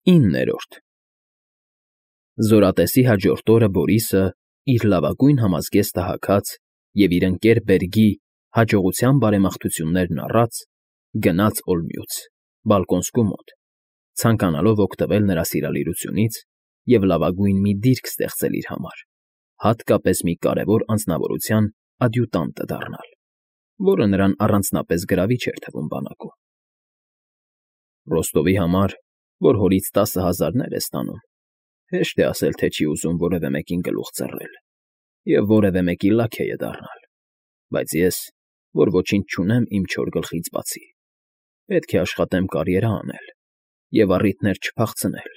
9-րդ Զորատեսի հաջորդ օրը Բորիսը, իր լավագույն համազգեստը հագած և իր ընկեր Բերգի հաջողության բարեմաղթություններն առած, գնաց Օլմյուց, Բալկոնսկու մոտ, ցանկանալով օգտվել նրա սիրալիրությունից և լավագույն մի դիրք ստեղծել իր համար, հատկապես մի կարևոր անձնավորության ադյուտանտը դառնալ, որը նրան առանձնապես գրավիչ էր թվում բանակում։ Ռոստովի համար, որ հորից 10,000-ներ է ստանում, հեշտ է ասել, թե չի ուզում որևէ մեկին գլուխ ծռել և որևէ մեկի լաքեյը դառնալ, բայց ես, որ ոչինչ չունեմ իմ չոր գլխից բացի, պետք է աշխատեմ կարիերա անել և առիթներ չփախցնել,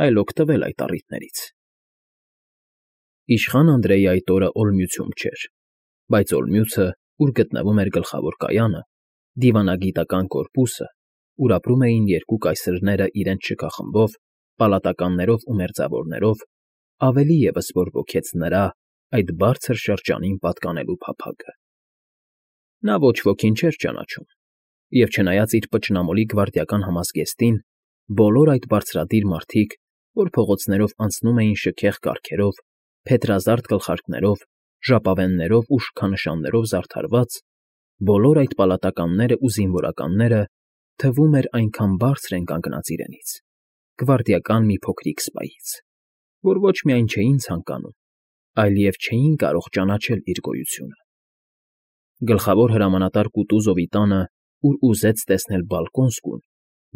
այլ օգտվել այդ առիթներից։ Իշխան Անդրեյը այդ օրը Օլմիուցում չէր, բայց Օլմիուցը, ուր գտնվում էր գլխավոր կայանը, դիվանագիտական կորպուսը, ուր ապրում էին երկու կայսրները իրենց շքախմբով, պալատականներով ու մերձավորներով, ավելի ևս որ ոգեց նրա այդ բարձր շրջանին պատկանելու փափագը։ Նա ոչ ոքին չէր ճանաչում, և չնայած իր պճնամոլի գվարդիական համազգեստին, բոլոր այդ բարձրադիր մարդիկ, որ փողոցներով անցնում էին շքեղ կառքերով, փետրազարդ գլխարկներով, ժապավեններով ու շքանշաններով զարդարված, բոլոր այդ պալատականները ու զինվորականները, թվում էր այնքան բարձր են կանգնած իրենից, գվարդիական մի փոքրիկ սպայից, որ ոչ միայն չէին ցանկանում, այլև չէին կարող ճանաչել իր գոյությունը։ Գլխավոր հրամանատար Կուտուզովի տանը, ուր ուզեց տեսնել Բալկոնսկուն,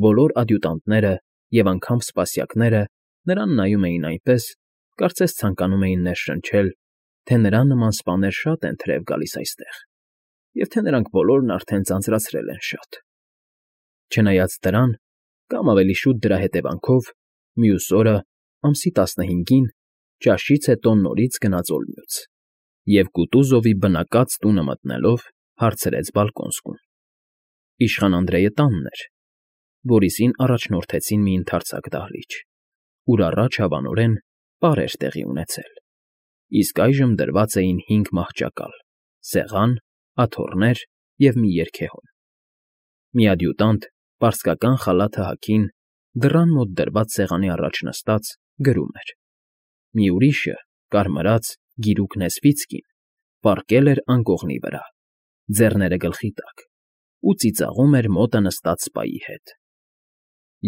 բոլոր ադյուտանտները և անգամ սպասյակները նրան նայում էին այնպես, կարծես ցանկանում էին ներշնչել, թե նրա նման սպաներ շատ են թրև գալիս այստեղ, և թե նրանք բոլորն արդեն ձանձրացրել են շատ։ Չնայած դրան, կամ ավելի շուտ դրա հետևանքով, մյուս օրը, ամսի 15-ին, ճաշից հետո նորից գնաց Օլմյուց և Կուտուզովի բնակած տունը մտնելով հարցրեց Բալկոնսկուն։ Իշխան Անդրեյը տանն էր, Բորիսին առաջնորդեցին մի ընդարձակ դահլիճ, ուր առաջ հավանորեն պար էր տեղի ունեցել, իսկ այժմ դրված էին 5 մահճակալ, սեղան, աթոռներ և մի երգեհոն։ Մի ադյուտանտ, պարսկական խալաթը հագին, դռան մոտ դրված սեղանի առաջ նստած, գրում էր։ Մի ուրիշը, կարմրած, գիրուկ Նեսվիցկին, պառկել էր անկողնի վրա, ձեռները գլխի տակ, ու ծիծաղում էր մոտը նստած սպայի հետ։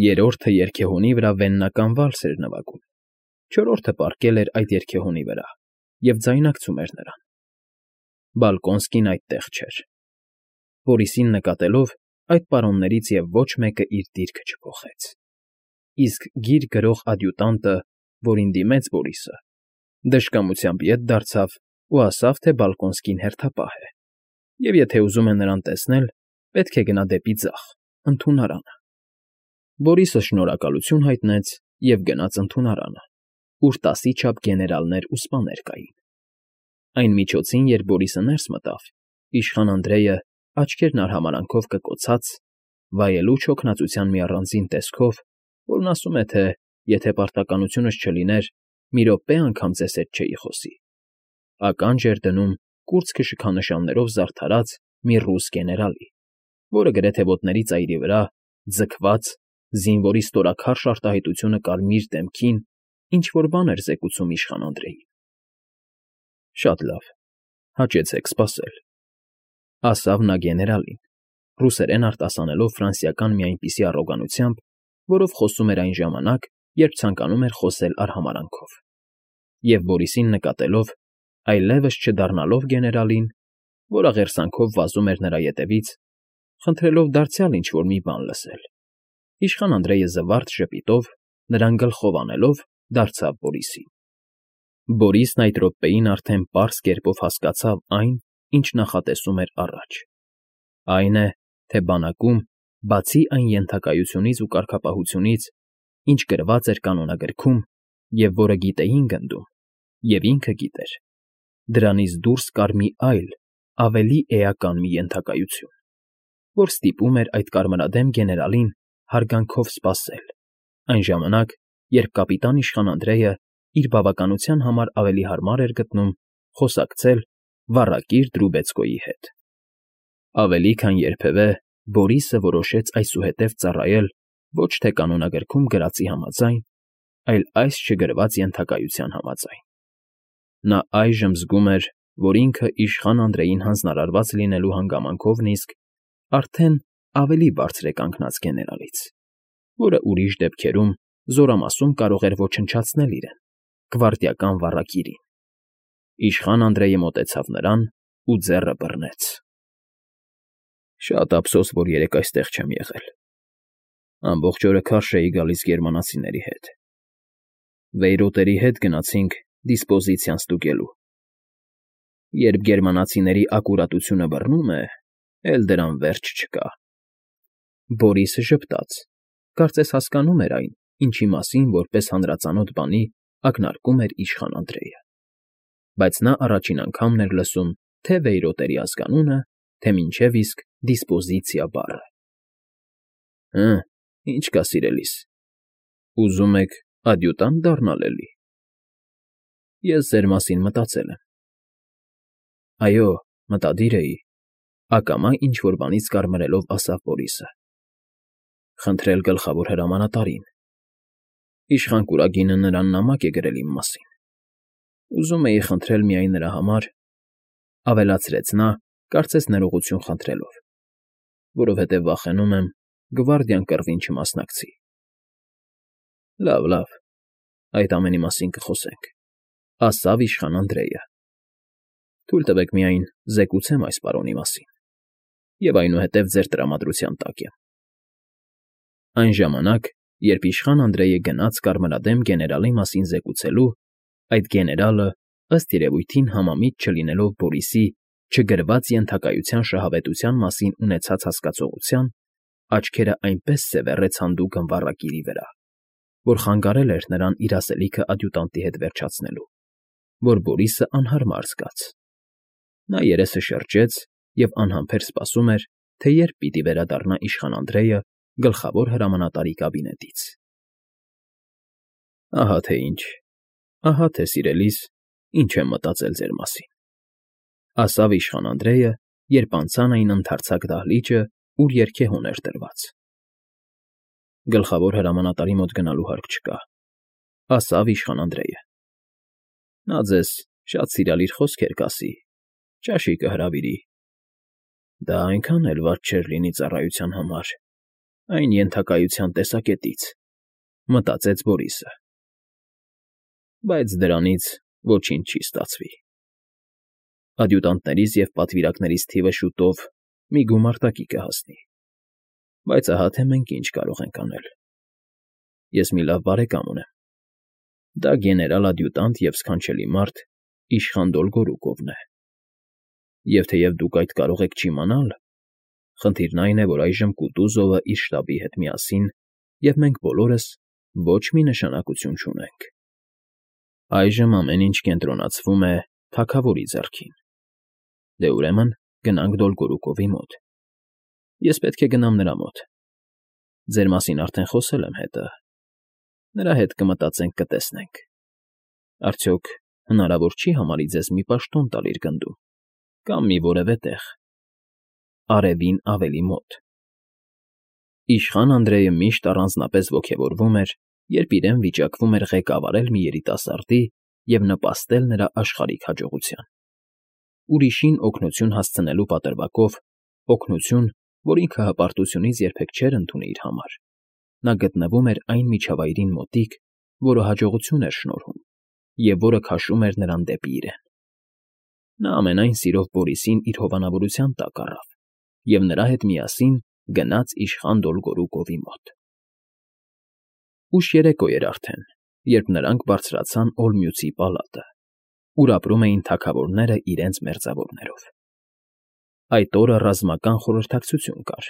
Երրորդը երգեհոնի վրա վեննական վալս էր նվագում, չորրորդը պառկել էր այդ երգեհոնի վրա և ձայնարկում էր նրան։ Բալկոնսկին այդտեղ չէր։ Բորիսին նկատելով, այդ պարոններից և ոչ մեկը իր դիրքը չփոխեց։ Իսկ գիր գրող ադյուտանտը, որին դիմեց Բորիսը, դժկամությամբ ետ դարձավ ու ասավ, թե Բալկոնսկին հերթապահ է, և եթե ուզում է նրան տեսնել, պետք է գնա դեպի ձախ, ընդունարանը։ Բորիսը շնորհակալություն հայտնեց և գնաց ընդունարանը, ուր 10-ի չափ գեներալներ ու սպաներ կային։ Այն միջոցին, երբ Բորիսը ներս մտավ, իշխան Անդրեյը, աչքերն արհամարանքով կկոցած, վայելուչ հոգնածության մի առանձին տեսքով, որն ասում է, թե եթե պարտականությունս չլիներ, մի րոպե անգամ ձեզ հետ չէի խոսի, ականջ էր դնում կուրծքը շքանշաններով զարդարած մի ռուս գեներալի, որը գրեթե ոտների ծայրի վրա, ձգված, զինվորի ստորաքարշ արտահայտությունը կարմիր դեմքին, ինչ֊որ բան էր զեկուցում իշխան Անդրեյին։ Շատ լավ, հաճեցեք սպասել, ասավ նա գեներալին, ռուսերեն արտասանելով ֆրանսիական մի այնպիսի առոգանությամբ, որով խոսում էր այն ժամանակ, երբ ցանկանում էր խոսել արհամարանքով, և Բորիսին նկատելով, այլևս չդառնալով գեներալին, որ աղերսանքով վազում էր նրա ետևից, խնդրելով դարձյալ ինչ֊որ մի բան լսել, իշխան Անդրեյը զվարթ ժպիտով, նրան գլխով անելով, դարձավ Բորիսին։ Բորիսն այդ րոպեին արդեն պարզ կերպով հասկացավ այն, ինչ նախատեսում էր առաջ։ Այն է, թե բանակում, բացի այն ենթակայությունից ու կարգապահությունից, ինչ գրված էր կանոնագրքում և որը գիտեին գնդում, և ինքը գիտեր, դրանից դուրս կար մի այլ, ավելի էական մի ենթակայություն, որ ստիպում էր այդ կարմրադեմ գեներալին հարգանքով սպասել, այն ժամանակ, երբ կապիտան իշխան Անդրեյը իր բավականության համար ավելի հարմար էր գտնում խոսակցել վառակիր Դրուբեցկոյի հետ։ Ավելի քան երբևէ Բորիսը որոշեց այսուհետև ծառայել ոչ թե կանոնագրքում գրածի համաձայն, այլ այս չգրված ենթակայության համաձայն։ Նա այժմ զգում էր, որ ինքը իշխան Անդրեին հանձնարարված լինելու հանգամանքով նիսկ արդեն ավելի բարձր է կանգնած գեներալից, որը ուրիշ դեպքերում զորամասում կարող էր ոչնչացնել իրեն, գվարդիական վառակիրին։ Իշխան Անդրեյը մոտեցավ նրան ու ձեռը բռնեց։ Շատ ափսոս, որ երեկ այստեղ չեմ եղել։ Ամբողջ օրը քարշ էի գալիս գերմանացիների հետ։ Վեյրոտերի հետ գնացինք դիսպոզիցիան ստուգելու։ Երբ գերմանացիների ակուրատությունը բռնում է, էլ դրան վերջ չկա։ Բորիսը ժպտաց, կարծես հասկանում էր այն, ինչի մասին որպես հանրածանոթ բանի ակնարկում էր իշխան Անդրեյը։ Բայց նա առաջին անգամն էր լսում թե վեյրոտերի ազգանունը, թե մինչև իսկ դիսպոզիցիա բառը։ Ինչ կա, սիրելիս, ուզում եք ադյուտանտ դառնալ էլի։ Ես ձեր մասին մտածել եմ։ Այո, մտադիր էի, ակամա ինչ-որ բանից կարմրելով ասավ Բորիսը։ Խնդրել գլխավոր հրամանատարին։ Իշխան Կուրագինը նրան նամակ է գրել իմ մասին։ Ուզում էի խնդրել միայն նրա համար, ավելացրեց նա, կարծես ներողություն խնդրելով, որովհետև վախենում եմ գվարդիան կռվին չմասնակցի։ Լավ, այդ ամենի մասին կխոսենք, ասավ իշխան Անդրեյը։ Թույլ տվեք միայն զեկուցեմ այս պարոնի մասին, և այնուհետև ձեր տրամադրության տակ եմ։ Այն ժամանակ, երբ իշխան Անդրեյը գնաց կարմրադեմ գեներալի մասին զեկուցելու, այդ գեներալը, ըստ երևույթին համամիտ չլինելով Բորիսի չգրված ենթակայության շահավետության մասին ունեցած հասկացողության, աչքերը այնպես սևեռեց հանդուգն վառակիրի վրա, որ խանգարել էր նրան իր ասելիքը ադյուտանտի հետ վերջացնելու, որ Բորիսը անհարմար զգաց։ Նա երեսը շրջեց և անհամբեր սպասում էր, թե երբ պիտի վերադառնա իշխան Անդրեյը գլխավոր հրամանատարի կաբինետից։ Ահա թե սիրելիս, ինչ եմ մտածել ձեր մասին, ասավ իշխան Անդրեյը, երբ անցան այն ընդարձակ դահլիճը, ուր երգեհոն էր դրված։ Գլխավոր հրամանատարի մոտ գնալու հարկ չկա, ասավ իշխան Անդրեյը։ Նա ձեզ շատ սիրալիր խոսքեր կասի, ճաշի կհրավիրի։ Դա այնքան էլ վատ չէր լինի ծառայության համար, այն ենթակայության տեսակետից, մտածեց Բորիսը։ Բայց դրանից ոչինչ չի ստացվի։ Ադյուտանտներից և պատվիրակներից թիվը շուտով մի գումարտակի կհասնի։ Բայց ահա թե մենք ինչ կարող ենք անել։ Ես մի լավ բարեկամ ունեմ։ Դա գեներալ֊ադյուտանտ և սքանչելի մարդ Իշխան Դոլգորուկովն է։ Եվ թեև դուք այդ կարող եք չիմանալ, խնդիրն այն է, որ այժմ Կուտուզովը իր շտաբի հետ միասին, և մենք բոլորս ոչ մի նշանակություն չունենք։ Այժմ ամեն ինչ կենտրոնացվում է թագավորի ձեռքին։ Դե ուրեմն գնանք Դոլգորուկովի մոտ։ Ես պետք է գնամ նրա մոտ։ Ձեր մասին արդեն խոսել եմ հետը։ Նրա հետ կմտածենք, կտեսնենք։ Արդյոք հնարավոր չի համարի ձեզ մի պաշտոն տալ իր գնդում, կամ մի որևէ տեղ, արևին ավելի մոտ։ Իշխան Անդրեյը միշտ առանձնապես ոգևորվում էր, երբ իրեն վիճակվում էր ղեկավարել մի երիտասարդի և նպաստել նրա աշխարհիկ հաջողության։ Ուրիշին օգնություն հասցնելու պատրվակով, օգնություն, որ ինքը հպարտությունից երբեք չէր ընդունի իր համար, նա գտնվում էր այն միջավայրին մոտիկ, որը հաջողություն էր շնորհում և որը քաշում էր նրան դեպի իրեն։ Նա ամենայն սիրով Բորիսին իր հովանավորության տակ առավ և նրա հետ միասին գնաց իշխան Դոլգորուկովի մոտ։ Ուշ երեկո էր արդեն, երբ նրանք բարձրացան Օլմյուծի պալատը, ուր ապրում էին թագավորները իրենց մերձավորներով։ Այդ օրը ռազմական խորհրդակցություն կար,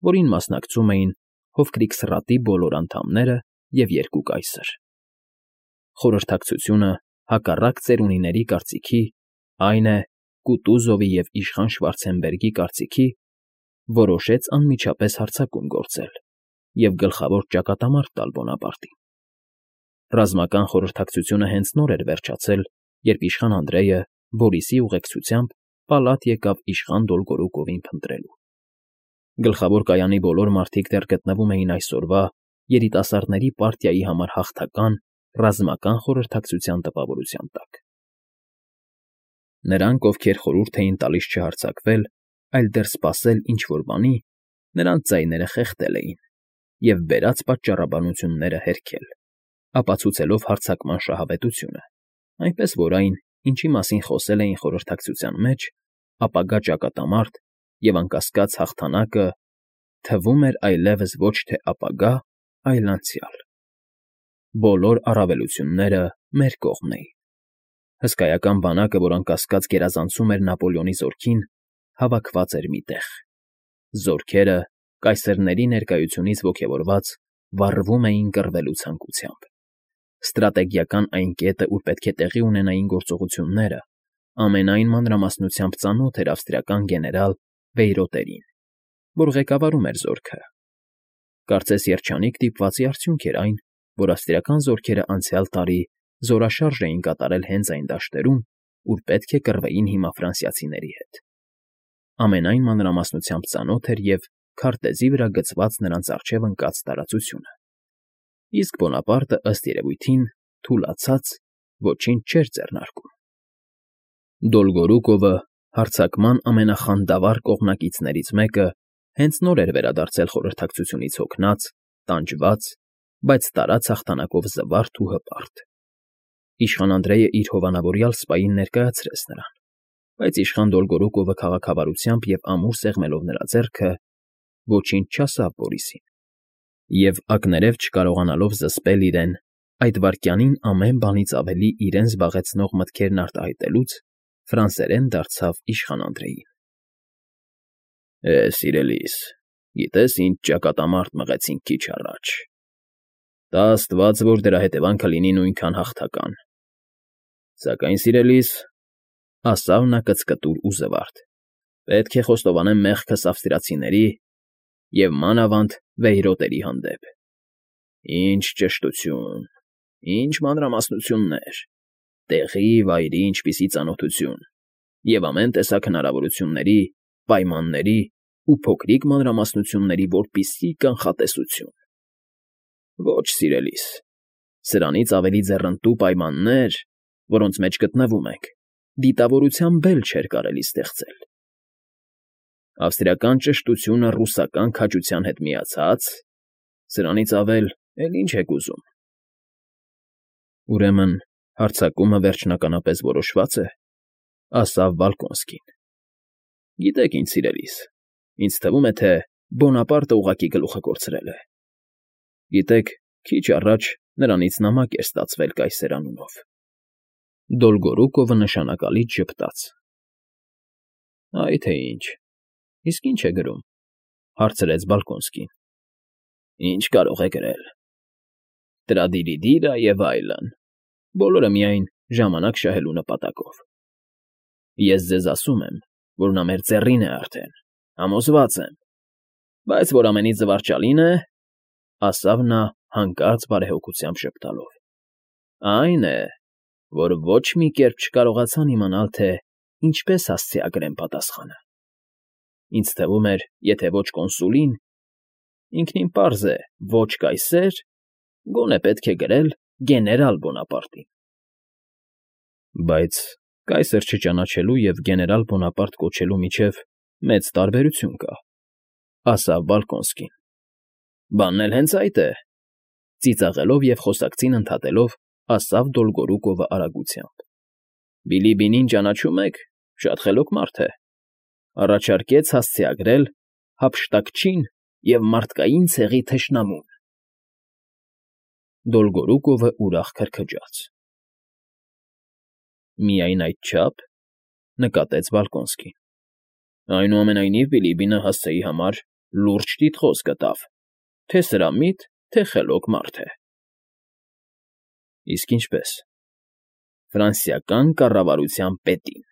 որին մասնակցում էին Հովկրիքսրատի բոլոր անդամները և երկու կայսր։ Խորհրդակցությունը, հակառակ ծերունիների կարծիքի, այն է, Կուտուզովի և իշխան Շվարցենբերգի կարծիքի, որոշեց անմիջապես հարձակում գործել և գլխավոր ճակատամարտ տալ Բոնապարտին։ Ռազմական խորհրդակցությունը հենց նոր էր վերջացել, երբ իշխան Անդրեյը Բորիսի ուղեկցությամբ պալատ եկավ իշխան Դոլգորուկովին փնտրելու։ Գլխավոր կայանի բոլոր մարդիկ դեռ գտնվում էին այսօրվա երիտասարդների պարտիայի համար հաղթական, ռազմական խորհրդակցության տպավորության տակ։ Նրանք, ովքեր խորհուրդ էին տալիս չհարձակվել, այլ դեռ սպասել ինչ֊որ բանի, նրանց ձայները խեղդել էին և բերած պատճառաբանությունները հերքել, ապացուցելով հարձակման շահավետությունը, այնպես որ այն, ինչի մասին խոսել էին խորհրդակցության մեջ, ապագա ճակատամարտ և անկասկած հաղթանակը, թվում էր այլևս ոչ թե ապագա, այլ անցյալ։ Բոլոր առավելությունները մեր կողմն էին։ Հսկայական բանակը, որ անկասկած գերազանցում էր Նապոլեոնի զորքին, հավաքված էր մի տեղ։ Զորքերը, կայսրների ներկայությունից ոգևորված, վառվում էին կռվելու ցանկությամբ։ Ստրատեգիական այն կետը, ուր պետք է տեղի ունենային գործողությունները, ամենայն մանրամասնությամբ ծանոթ էր ավստրիական գեներալ Վեյրոտերին, որ ղեկավարում էր զորքը։ Կարծես երջանիկ դիպվածի արդյունք էր այն, որ ավստրիական զորքերը անցյալ տարի զորաշարժ էին կատարել հենց այն դաշտերում, ուր պետք է կռվեին հիմա ֆրանսիացիների հետ։ Ամենայն մանրամասնությամբ ծանոթ էր և քարտեզի վրա գծված նրանց առջև ընկած տարածությունը։ Իսկ Բոնապարտը, ըստ երևույթին, թուլացած, ոչինչ չէր ձեռնարկում։ Դոլգորուկովը, հարձակման ամենախանդավառ կողմնակիցներից մեկը, հենց նոր էր վերադարձել խորհրդակցությունից հոգնած, տանջված, բայց տարած հաղթանակով զվարթ ու հպարտ։ Իշխան Անդրեյը իր հովանավորյալ սպային ներկայացրեց նրան, բայց իշխան Դոլգորուկովը քաղաքավարությամբ և ամուր սեղմելով նրա ձեռքը, ոչինչ չասավ Բորիսին, և ակներև չկարողանալով զսպել իրեն, այդ վայրկյանին ամեն բանից ավելի իրեն զբաղեցնող մտքերն արտահայտելուց, ֆրանսերեն դարձավ իշխան Անդրեյին։ Սիրելիս, գիտես ինչ ճակատամարտ մղեցինք քիչ առաջ։ Տա աստված, որ դրա հետևանքը լինի նույնքան հաղթական։ Սակայն, սիրելիս, ասավ նա կծկտուր ու զվարթ, պետք է խոստովանեմ մեղքս ավստրիացիների և մանավանդ Վեյրոտերի հանդեպ։ Ինչ ճշտություն, ինչ մանրամասնություններ, տեղի, վայրի ինչպիսի ծանոթություն և ամեն տեսակ հնարավորությունների, պայմանների ու փոքրիկ մանրամասնությունների որպիսի կանխատեսություն։ Ոչ, սիրելիս, սրանից ավելի ձեռնտու պայմաններ, որոնց մեջ գտնվում ենք, դիտավորության բել չէր կարելի ստեղծել։ Ավստրիական ճշտությունը ռուսական քաջության հետ միացա՞ծ, սրանից ավել էլ ինչ եք ուզում։ Ուրեմն հարձակումը վերջնականապես որոշվա՞ծ է, ասավ Բալկոնսկին։ Գիտեք ինչ, սիրելիս, ինձ թվում է, թե Բոնապարտը ուղղակի գլուխը կորցրել է։ Գիտեք, քիչ առաջ նրանից նամակ էր ստացվել կայսեր անունով։ Դոլգորուկովը նշանակալից ժպտաց։ Այ թե ինչ, իսկ ի՞նչ է գրում, հարցրեց Բալկոնսկին։ Ինչ կարող է գրել։ Տրադիրիդիրա և այլն, բոլորը միայն ժամանակ շահելու նպատակով։ Ես ձեզ ասում եմ, որ նա մեր ծեռին է արդեն, համոզված եմ, բայց որ ամենից զվարճալին է, ասավ նա հանկարծ բարեհոգությամբ ժպտալով, այն է, որ ոչ մի կերպ չկարողացան իմանալ, թե ինչպես հասցեագրեն պատասխանը։ Ինձ թվում էր, եթե ոչ կոնսուլին, ինքնին պարզ է, ոչ կայսեր, գոնե պետք է գրել գեներալ Բոնապարտին։ Բայց կայսր չճանաչելու և գեներալ Բոնապարտ կոչելու միջև մեծ տարբերություն կա, ասավ Բալկոնսկին։ Բանն էլ հենց այդ է, ծիծաղելով և խոսակցին ընդհատելով, ասավ Դոլգորուկովը արագությամբ։ Բիլիբինին ճանաչում եք, շատ խելոք մարդ է։ Առաջարկեց հասցեագրել հափշտակչին և մարդկային ցեղի թշնամուն։ Դոլգորուկովը ուրախ քրքջաց։ Միայն այդչա՞փ, նկատեց Բալկոնսկին։ Այնուամենայնիվ Բիլիբինը հասցեի համար լուրջ տիտղոս գտավ, թե սրամիտ, թե խելոք մարդ է։ Իսկ ինչպե՞ս։ Ֆրանսիական կառավարության պետին։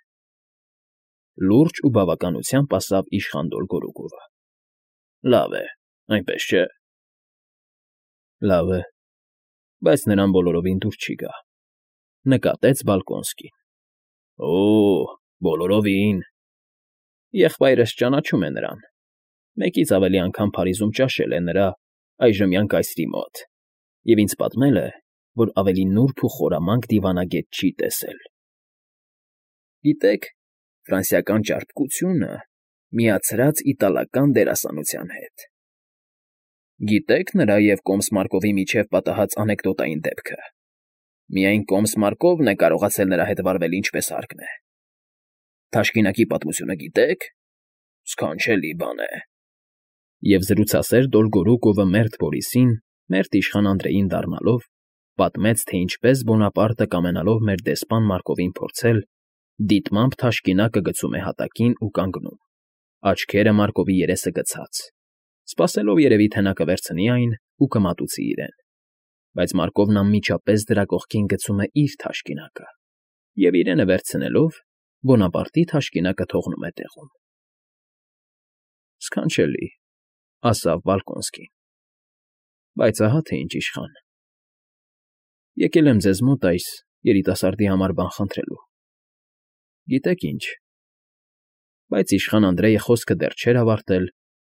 Լուրջ ու բավականությամբ ասավ իշխան Դոլգորուկովը։ Լավ է, այնպես չէ։ Լավ է, բայց նրան բոլորովին դուր չի գա, նկատեց Բալկոնսկին։ Բոլորովին։ Եղբայրս ճանաչում է նրան, մեկից ավելի անգամ Փարիզում ճաշել է նրա այժմյան կայսրի մոտ, և ինձ պատմել է, որ ավելի նուրբ ու խորամանկ դիվանագետ չի տեսել։ Գիտեք, ֆրանսիական ճարպկությունը միացրած իտալական դերասանության հետ։ Գիտեք նրա և Կոմս Մարկովի միջև պատահած անեկդոտային դեպքը։ Միայն Կոմս Մարկովն է կարողացել նրա հետ վարվել ինչպես հարկն է։ Թաշկինակի պատմությունը գիտեք։ Սքանչելի բան է։ Եվ զրուցասեր Դոլգորուկովը մերթ Բորիսին, մերթ իշխան Անդրեին դառնալով, պատմեց, թե ինչպես Բոնապարտը կամենալով մեր դեսպան Մարկովին փորձել, դիտմամբ թաշկինակը գցում է հատակին ու կանգնում, աչքերը Մարկովի երեսը գցած, սպասելով երևի, թե նա կվերցնի այն ու կմատուցի իրեն, բայց Մարկովն անմիջապես դրա կողքին գցում է իր թաշկինակը, և իրենը վերցնելով, Բոնապարտի թաշկինակը թողնում է տեղում։ Սքանչելի, ասավ Բալկոնսկին, բայց ահա թե ինչ իշխան։ Եկել եմ ձեզ մոտ այս երիտասարդի համար բան խնդրելու։ Գիտեք ինչ։ Բայց իշխան Անդրեյը խոսքը դեռ չէր ավարտել,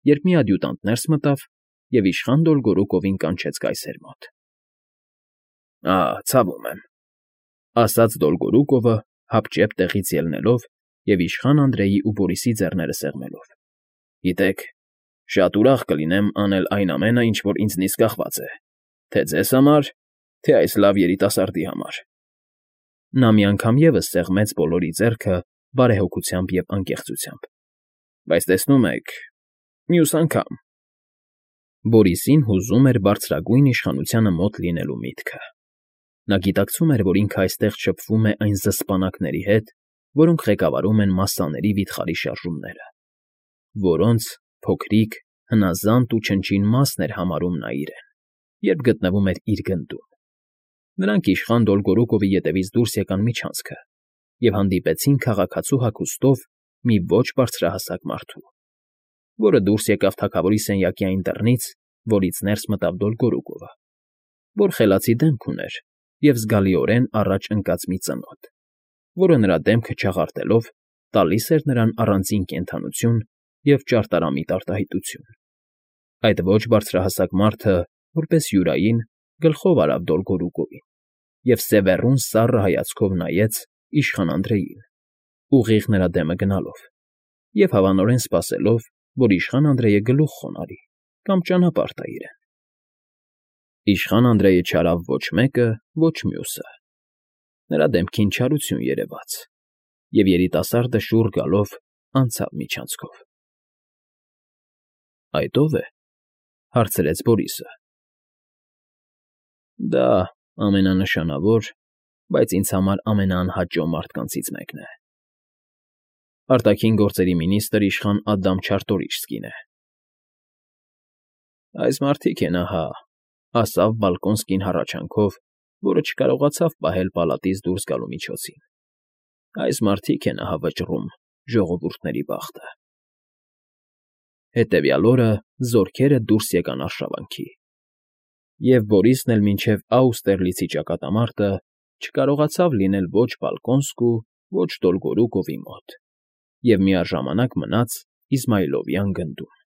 երբ մի ադյուտանտ ներս մտավ և իշխան Դոլգորուկովին կանչեց կայսեր մոտ։ Ցավում եմ, ասաց Դոլգորուկովը, հապճեպ տեղից ելնելով և իշխան Անդրեյի ու Բորիսի ձեռները սեղմելով։ Գիտեք, շատ ուրախ կլինեմ անել այն ամենը, ինչ որ ինձնից կախված է, թե ձեզ համար, թե այս լավ երիտասարդի համար։ Նա մի անգամ ևս սեղմեց բոլորի ձեռքը բարեհոգությամբ և անկեղծությամբ։ Բայց տեսնում եք, մյուս անգամ։ Բորիսին հուզում էր բարձրագույն իշխանությանը մոտ լինելու միտքը։ Նա գիտակցում էր, որ ինքը այստեղ շփվում է այն զսպանակների հետ, որոնք ղեկավարում են մասսաների վիթխարի շարժումները, որոնց փոքրիկ, հնազանդ ու չնչին մասն էր համարում նա իրեն, երբ գտնվում էր իր գնդում։ Նրանք իշխան Դոլգորուկովի ետևից դուրս եկան միջանցքը և հանդիպեցին քաղաքացու հագուստով մի ոչ բարձրահասակ մարդու, որը դուրս եկավ թագավորի սենյակի այն դռնից, որից ներս մտավ Դոլգորուկովը, որ խելացի դեմք ուներ և զգալիորեն առաջ ընկած մի ծնոտ, որը նրա դեմքը չաղարտելով տալիս էր նրան առանձին կենդանություն և ճարտարամիտ արտահայտություն։ Այդ ոչ բարձրահասակ մարդը, որպես յուրային, գլխով արավ Դոլգորուկովին և սևեռուն սառը հայացքով նայեց իշխան Անդրեյին, ուղիղ նրա դեմը գնալով, և հավանորեն սպասելով, որ իշխան Անդրեյը գլուխ խոնարհի կամ ճանապարհ տա իրեն։ Իշխան Անդրեյը չարավ ոչ մեկը, ոչ մյուսը։ Նրա դեմքին չարություն երևաց, և երիտասարդը շուռ գալով անցավ միջանցքով։ Այդ ո՞վ է,֊ հարցրեց Բորիսը։ Դա ամենանշանավոր, բայց ինձ համար ամենաանհաճո մարդկանցից մեկն է։ Արտաքին գործերի մինիստր իշխան Ադամ Չարտորիչսկին է։ Այս մարդիկ են, ահա,֊ ասավ Բալկոնսկին հառաչանքով, որը չկարողացավ պահել պալատից դուրս գալու միջոցին։ Այս մարդիկ են, ահա, վճռում ժողովուրդների բախտը։ Հետևյալ օրը զորքերը դուրս եկան արշավանքի, և Բորիսն էլ մինչև Աուստերլիցի ճակատամարտը չկարողացավ լինել ոչ Բալկոնսկու, ոչ Դոլգորուկովի մոտ և միաժամանակ մնաց Իզմայլովյան գնդում։